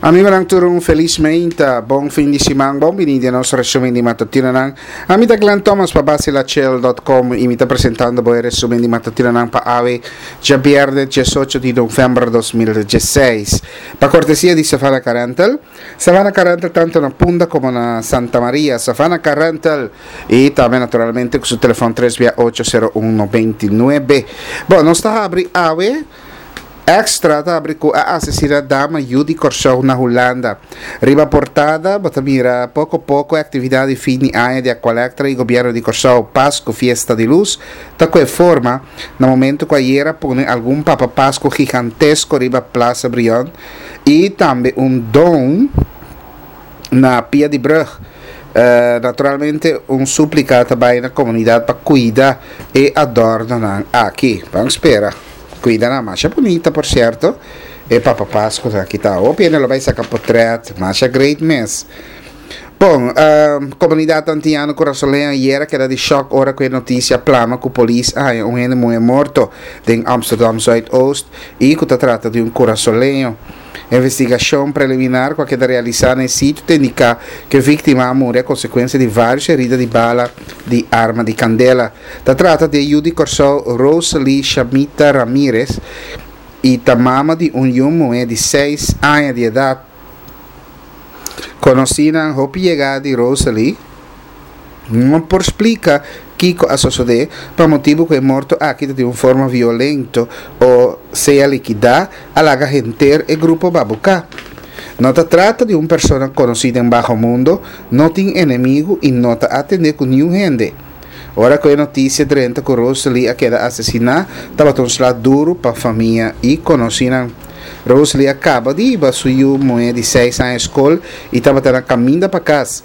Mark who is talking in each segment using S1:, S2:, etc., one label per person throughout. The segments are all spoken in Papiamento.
S1: Amigonan tur un felis meinta, bon fin di siman, bon bini den nos resumen di matutinonan. Ami ta Glenn Thomas pa Basilachel.com y mi ta presentando bo e resumen di matutinonan pa awe djabierne 18 di november 2016. Pa cortesia di Savannah Car Rental, Savannah Car Rental tanto na Punda como na Santa Maria, Savannah Car Rental y tambe naturalmente cu su telefon 3 bia 8 0 1 99. Bon, nos ta habri awe. Extra ta habri ku a asesina dama yu di Kòrsou na Hulanda. Riba portada bo ta mira poko poko e aktividat di fin di aña di Aqualectra i Gobièrnu di Kòrsou Pasku Fiesta di Lus ta ku e forma na momentu ku ayera pone algun Papa Pasku gigantesko riba Plaza Brion i tambe un don na pia di brug. Naturalmente un súplika ta bai na komunidat pa kuida e adòrnonan aki. Ban spera. Kuida nan masha bunita por sierto. E Papa Pascu aki ta hopi hende lo bai saka potret. Masha great mes. Bon, komunidat Antiano Kurasoleño ayer a keda di shòk ora ku e notisia plama ku polis a haña un hende muhé morto den Amsterdam Zuidoost i ku ta trata di un kurasoleño. Investigashon preliminar ku a keda realisá na e sitio ta indiká ku e víktima a muri a konsekuensia di vários herida di bala di arma di kandela. Ta trata di e yu di Kòrsou Rosalie Shamita Ramirez i ta mama di un yu muhé di seis aña di edat. Konosínan hopi yegá di Rosalie no por splika kiko a sosodé pa motibu ku e morto aki ta di un forma violento o sea likidá a laga henter e grupo babuká. No ta trata di un persona konosí den baho mundo, no tin enemigu i no ta atendé ku niun hende. Ora ku e notisia drenta ku Rosalie a keda asesiná tabata un sla duru pa famia i konosínan. Rosalie a kaba di hiba su yu muhé di seis aña skol i tabata na kaminda pa kas.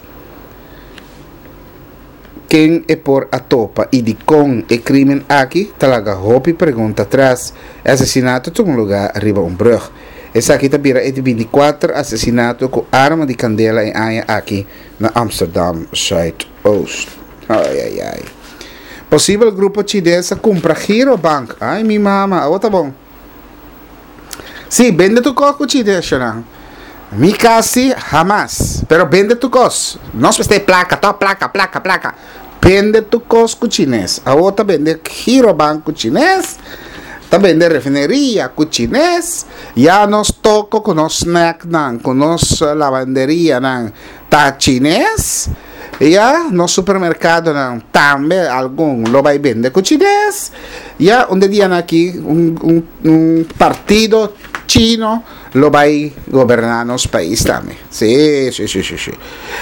S1: Ken e por a topa i dikon e krimen aki ta laga hopi pregunta atras. E asesinato tuma lugá riba un brùg. Esaki ta bira e di binti kuater asesinato ku arma di kandela e aña aki na Amsterdam Zuidoost. Ai ai ai. Posibel grupo chines a kumpra Girobank. Ai mi mama, awo ta bon. Sí, bende tu kos ku chinesnan. Mi kasi hamas. Pero bende tu kos. Nos mester plaka, to plaka, plaka, plaka. Bende tu kos ku chines. Awo ta bende Girobank ku chines. Ta bende refineria ku chines. Ya nos toko ku nos snacknan, ku nos lavanderianan ta chines. Ya, nos supermercadonan tambe algun lo bay bende cu chines. Ya, un de dianan aki un, un, un partido chino lo bay goberna nos pais tambe. Sí, sí, sí, sí, sí.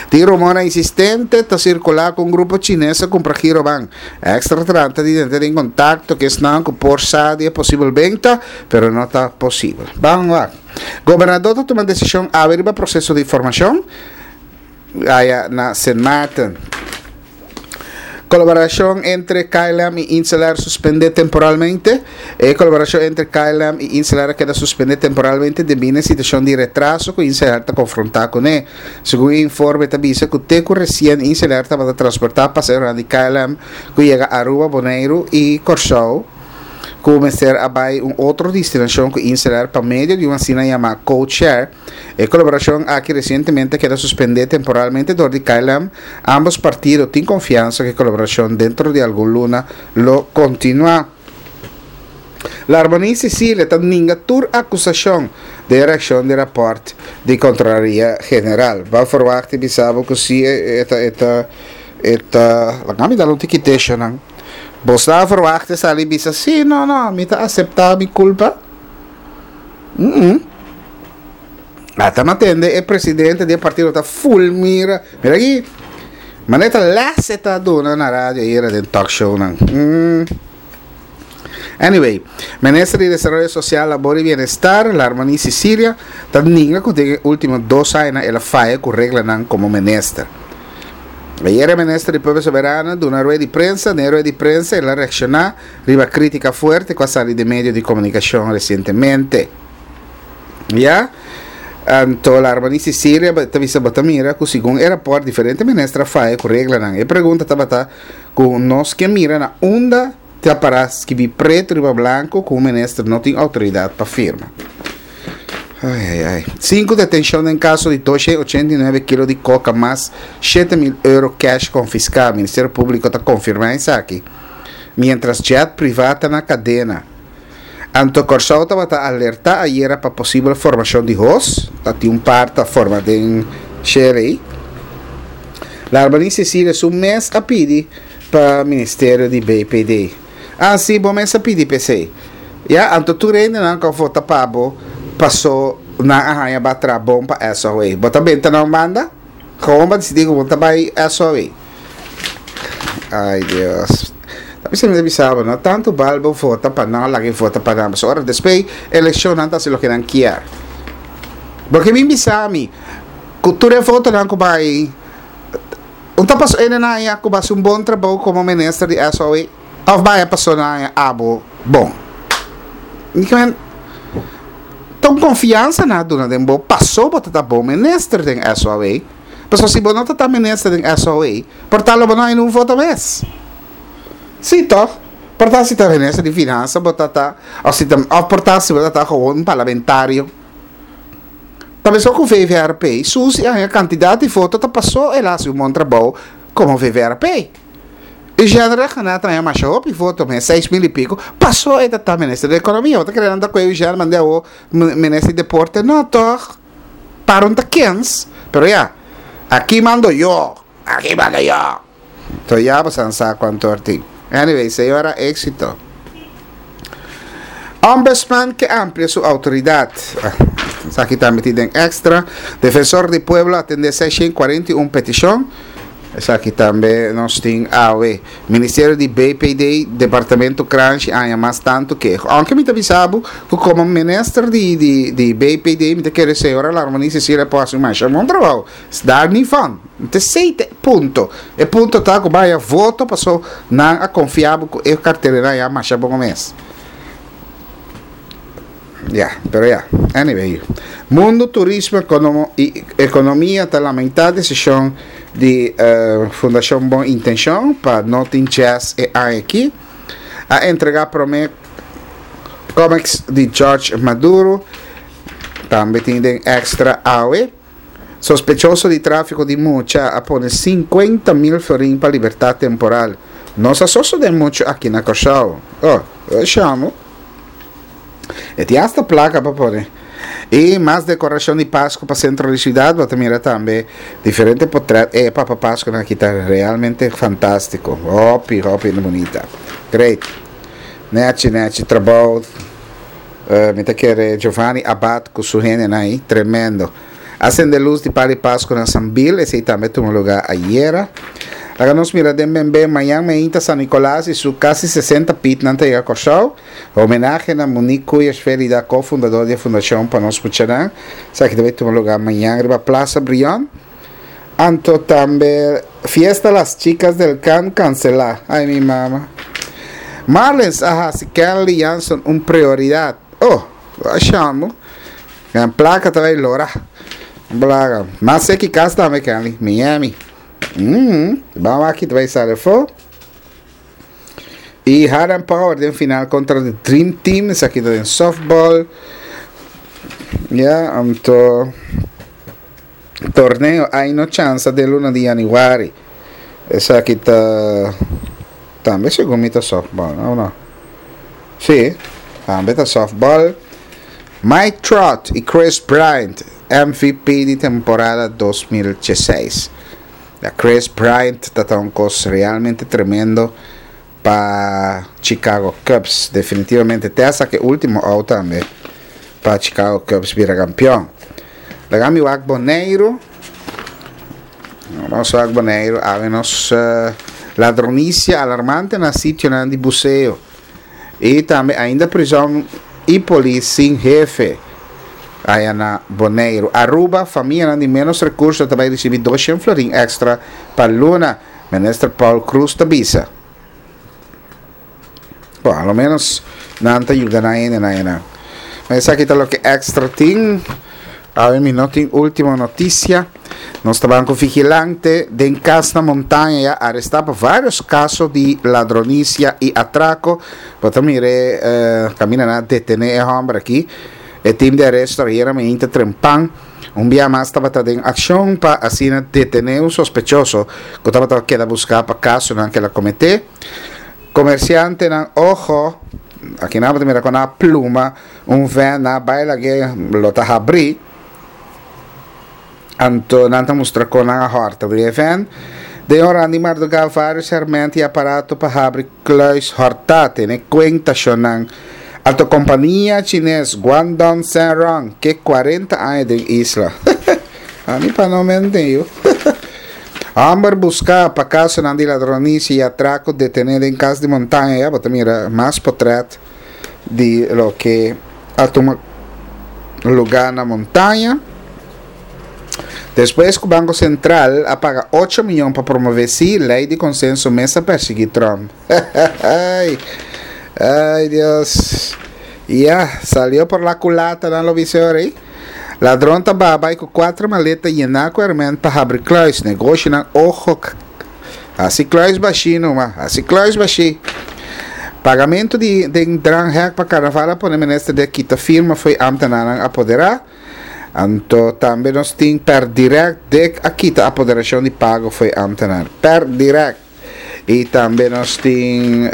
S1: Tin rumornan insistente ta circula cu un grupo chines a cumpra Giroban. Extra trata di drenta den contacto cu esnan cu por sa di e posibel benta, pero no ta posibel. Ban wak. Gobernador ta tuma decision awe riba proceso di formacion. Aya na Sint Maarten. Kolaborashon entre KLM i InselAir suspendé temporalmente. E kolaborashon entre KLM i InselAir a keda suspendé temporalmente debí na e situashon di retraso ku InselAir ta konfrontá kuné. Segun e informe ta bisa ku te ku resien InselAir tabata transportá pasaheronan di KLM ku yega Aruba, Boneiru i Kòrsou ku mester a bai un otro destinashon ku InselAir pa medio di un asina yamá codeshare. E kolaborashon aki resientemente a keda suspendé temporalmente dor di KLM. Ambos partido tin konfiansa ku e kolaborashon dentro di algun luna lo kontinuá. Larmonie Cecilia ta ninga tur akusashon den e reakshon di rapòrt di Kontrolaria General. Bo a ferwagt di bisa bo ku si e ta e ta e ta laga mi dal un tiki teshonan. Bo sa a ferwagt di sali bisa si no no mi ta aseptá mi kulpa? Ata mi a tende e presidente di e partido ta fulmira. Mira aki. Manera ta les e ta duna na radio ayera den talk shownan. Anyway, minister di Desaroyo Sosial, Labor i Bienestar, Larmonie Cecilia, ta ninga ku den e ultimo dos añanan el a faya ku reglanan komo minister. Ayera e minister di Pueblo Soberano duna rueda di prensa. Den e rueda di prensa el a reakshoná riba krítika fuerte ku a sali den medio di komunikashon resientemente. Ya, anto Larmani Cecilia ta bisa bo ta mira ku segun e rapòrt diferente minister a faya ku reglanan. E pregunta tabata ku nos ke mira na unda ta para skibí pretu riba blanku ku un minister no tin outoridat pa firma. Ai ai ai. Sinku detenshon den kaso di 289 kilo di koka mas 7000 euro cash konfiská. Ministerio Públiko ta konfirmá esaki. Miéntras jet privá ta na kadena. Anto Kòrsou tabata alertá ayera pa posibel formashon di hos. Ta tin un par ta forma den Sherey. Larbaní Cecilia su mes a pidi pa ministerio di BPD. Ah si, bo mes a pidi p'esei. Ya, anto tur hendenan ku a vota pa bo paso nan a haña ba traha bon pa SOA. Bo ta benta na un banda? Gewoon bo a disidí ku bo ta bai SOA. Ai Dios. Ta bisa mi ta bisa bo, no tantu bal bo vota pa nan, laga e vota pa nan. Pasobra ora despues elekshon nan ta hasi loke nan kier. Bo ke bin bisa mi ku tur e votonan ku bai Un ta paso ene na haña ku basi un bon trabou komo minister di SOE òf baya paso na haña abo bon? Mi ke men ta un konfiansa nan a duna den bo paso bo ta ta bon minister den SOE. Pasobra si bo no ta ta minister den SOE por ta lo bo no haña un voto mes. Si tòg? Por ta si ta minister di finansa bo ta ta òf si ta òf por ta si bo ta ta gewoon un parlamentario. Ta meskos ku VVRP, Susi a haña kantidat di voto ta pasó el a hasi un bon trabou komo VVRP. Eugène Rhuggenaath a haña masha hopi voto, mes 6000 i piko, pasó e ta ta minister di ekonomia. Bo ta kere nan ta kohe Eugène mand'é awor minister di deporte? No tòg, para un ta kens. Pero ya, aki mando yo, aki mando yo. To ya bo san sa cuanto or tin. Anyway, señora éxito. Ombudsman ke amplia su autoridad. Esaki tambe tin den extra. Defensor di pueblo atende 641 peticion. Esaki tambe nos tin awe. Ministerio di BPD, Departamento Kranshi aña mas tanto keho. Aunke mi ta bisa bo ku komo minister di di di BPD mi ta kere señora Larmonie Cecilia por hasi un masha bon trabou. Daar niet van. Te esey ta e punto. E punto ta cu baya voto paso nan a confia bo cu e carteleran ya masha bon mes. Ya, pero ya. Anyway. Mundo Turismo economo y Economia ta lamenta decision di uh, Fundacion Bon Intencion pa no tin jazz e aña aki. A entrega prome comics di George Maduro. Tambe tin den extra awe. Sospechoso di tráfiko di mucha a pone 50.000 florin pa libertat temporal. No sa sosodé muchu aki na Kòrsou. Oh, shamu. E tin asta plaka pa pone. I mas dekorashon di Pasku pa sentro di siudat. Bo ta mira tambe diferente potrèt. E Papa Paskunan aki ta realmente fantástiko. Hopi, hopi bunita. Great. Nèchi, nèchi trabou. Mi ta kere Giovanni Abad ku su hendenan ei, tremendo. A sende lus di Pali Pasku na Sambil, esei tambe tuma lugá ayera. Laga nos mira den Bembe, mañan meinta San Nicolas i su kasi 60 pitnan ta yega Kòrsou. Homenahe na Monique Cuyes Felida, ko-fundador di e fundashon Pa Nos Muchanan. Esaki ta bai tuma lugá mañan riba Plaza Brion. Anto tambe fiesta las chicas del can cancela. Ay mi mama. Marlins a hasi Kenley Jansen un prioridad. Oh, a shamo. Gan placa ta bay lora. Blaga. Mas seki cas tambe Kenley. Miami. Vamos aki ta bay sale fo. Y Harlem Power den final contra de Dream Team. Esaki ta den softball. Ja, anto Torneo Ai No Chansa den luna di januari. Esaki ta tambe segun mi ta softball, no no? Si, tambe ta softball. Mike Trout y Kris Bryant MVP di temporada 2016. Ya Kris Bryant ta ta un kos realmente tremendo pa Chicago Cubs. Definitivamente te a saka e ultimo out tambe pa Chicago Cubs bira campeon. Laga mi wak Boneiru. Nos wak Boneiru. Awe nos uh, ladronicia alarmante na sitionan di buseo. Y tambe ainda prison y polis sin hefe. Aya na Boneiru. Aruba, famianan di menos recurso ta bay ricibi 200 florin extra pa luna. Minister Paul Croes ta bisa. Bon, a lo menos nan ta yuda nan hende nan nan. Maar esaki ta loke extra tin. Awe mi no tin último noticia. Nos ta banco vigilante den cas na montaña ya arresta pa varios casos di ladronicia y atraco. Bo ta mire eh, camina na detene e hombre aki. E tim di aresto ayera mainta trempan un bia mas tabata den akshon pa asina detené un sospechoso ku tabata keda buská pa kasonan ku el a kometé. Komersiantenan oho, aki nan bo ta mira kon nan a pluma un vèn nan a bai lag'é lo ta habrí. Anto nan ta mustra kon nan a hòrta di e vèn. Den oran di mardugá vários hèrmènt i aparato pa habri kluis hòrtá tene kuenta shonnan. Anto kompania chines Guangdong Senrong ke kuarenta aña den isla. Ami pa no mente yu. Hòmber buská pa kasonan di ladronisia i atrako detené den kas di montaña. Ya bo ta mira mas potrèt di loke a tuma lugá na montaña. Despues ku Banko Sentral a paga ocho miyon pa promové sí, lei di konsenso mes a persiguí Trump. Ay, ay Dios. Ya, salió por la culata nan lo bisa ora ei. Ladron ta baha bai ku kuater maleta yená ku herment pa habri kluis. Negoshinan ojo Hasi kluis bashí numa, hasi kluis bashí. Pagamentu di den dranghek pa karnaval a pone minister di a kita firma fo'i ámtenarnan apoderá. Anto tambe nos tin per direct dek a kita apoderashon di pago fo'i ámtenar. Per direct. I tambe nos tin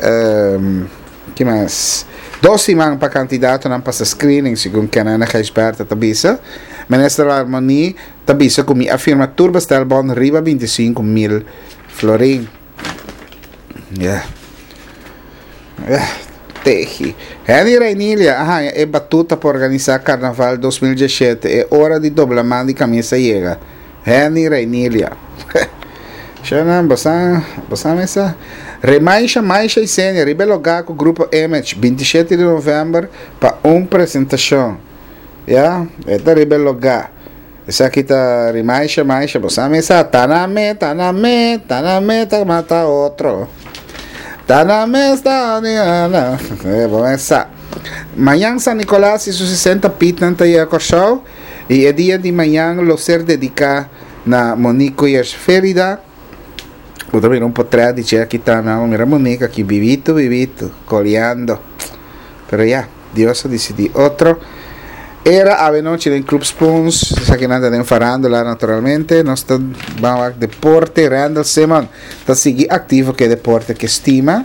S1: ki mas? Dos siman pa kandidatonan pasa screening, segun Kenene Gijsbertha ta bisa. Minister Larmonie ta bisa ku mi a firma tur bestelbon riba 25 mil florin. Yeah. Yeah. Tehi. Henny Reinilia a haña e batuta pa organisá Karnaval 2017. E ora di dobla man di kamisa yega. Henny Reinilia. Shana, bosa, bosa mesa. Remaisha, Maisha i Senia riba e logá ku Grupo Image 27 di novèmber pa un presentashon. Ya, e ta riba e logá. Esaki ta rimaisha maisha, bo sa mesa, ta na me, ta na me, ta na me, ta mata otro. Ta na me, ta na na, eh, bo mesa. Mañan San Nicolas y su 60 pitnan ta yega Kòrsou y e dia di mañan lo ser dediká na Monique Koyers Ferida. Bo ta mira un potrèt di dje aki ta na, mira Monique aki bibito bibito, koleando. Pero ya. Dios a disidí otro. Era awenochi den Club Spoons, esakinan ta den farándula naturalmente. Nos ta ban wak deporte. Randall Simon ta sigui aktivo ku e deporte ku e stima.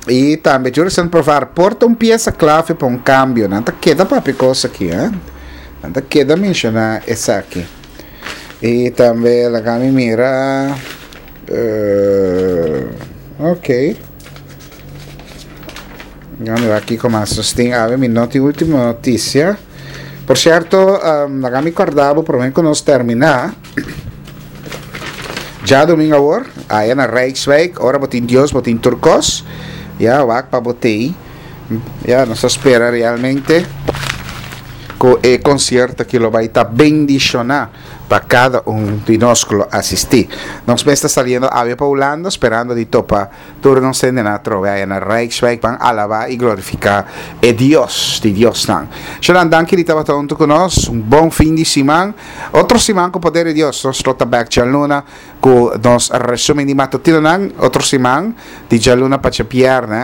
S1: I tambe Jurison Provar por ta un piesa klave pa un kambio. Nan ta keda papia kos aki, eh. Nan ta keda menshoná esaki. I tambe laga mi mira, uh, ok. Ya mira kiko mas nos tin awe mi no tin ultimo noticia. Por cierto, um, laga mi corda bo prome ku nos termina. Djadomingo awor, aya na Rijkswijk, ora bo tin Dios, bo tin tur kos. Ya, wak pa bo tei. Ya, nos ta spera realmente ku e concierto aki lo bai ta bendiciona pa kada un di nos ku lo asisti. Nos mes ta saliendo awe pa Hulanda, sperando di topa Tur nos hendenan atrobe aya na Rijkswijk ban alabá i glorifiká e Dios di diosnan. Shonan danki di tabata huntu ku nos. Un bon fin di siman. Otro siman ku poder di Dios nos lo ta bèk djaluna ku nos resumen di matutinonan. Otro siman di djaluna pa djabièrnè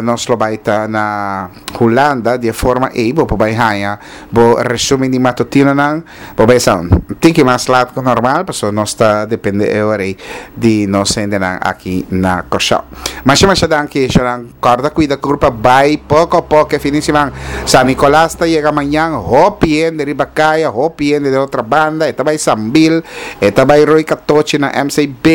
S1: nos lo bai ta na Hulanda. Di e forma ei bo por bai haña bo resumen di matutinonan. Bo bai sa un tiki mas lat ku normal pasobra nos ta depende e ora ei di nos hendenan aki na Kòrsou. Masha masha danki Sharan. Kòrda kuida kurpa bai poko poko e fin di siman. San Nikolas ta yega mañan hopi hende riba kaya hopi hende den otro banda e ta bai Sambil e ta bai Rooi Katochi na MCB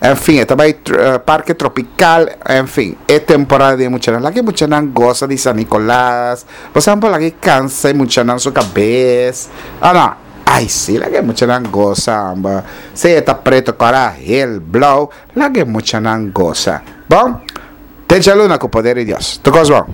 S1: en fin e ta bai Parke Tropikal en fin e temporada di e muchanan laga e muchanan gosa di San Nikolas. Bo sa por laga e cansa e muchanan su cabes. Oh no. Ay si, laga e muchanan gosa amba. Sea e ta preto, cora, geel, blauw, laga e muchanan gosa. Bon, te djaluna cu poder di Dios. Tur cos bon.